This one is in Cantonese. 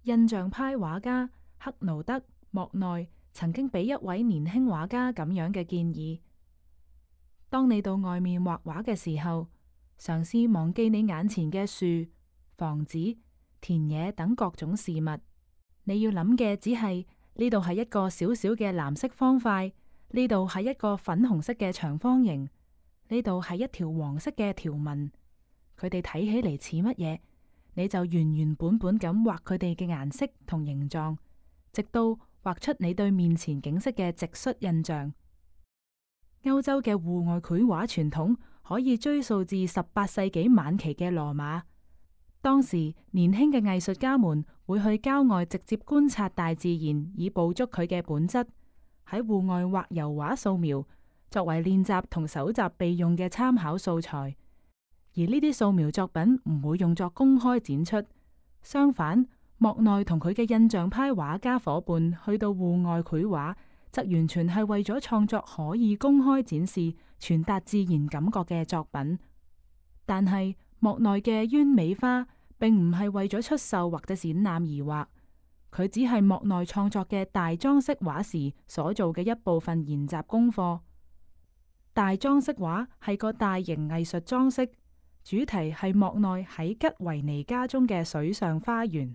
印象派畫家克勞德·莫內曾經俾一位年輕畫家咁樣嘅建議：當你到外面畫畫嘅時候，嘗試忘記你眼前嘅樹、房子、田野等各種事物。你要諗嘅只係呢度係一個小小嘅藍色方塊，呢度係一個粉紅色嘅長方形，呢度係一條黃色嘅條紋。佢哋睇起嚟似乜嘢，你就原原本本咁畫佢哋嘅顏色同形狀，直到畫出你對面前景色嘅直率印象。歐洲嘅戶外繪畫傳統可以追溯至18世紀晚期嘅羅馬。當時年輕嘅藝術家們會去郊外直接觀察大自然，以捕捉佢嘅本質。喺戶外畫油畫素描，作為練習同搜集備用嘅參考素材。而呢啲素描作品唔會用作公開展出。相反，莫內同佢嘅印象派畫家伙伴去到戶外繪畫，則完全係為咗創作可以公開展示、傳達自然感覺嘅作品。但係莫內嘅鳶尾花並唔係為咗出售或者展覽而畫，佢只係莫內創作嘅大裝飾畫時所做嘅一部分研習功課。大裝飾畫係個大型藝術裝飾，主題係莫內喺吉維尼家中嘅水上花園。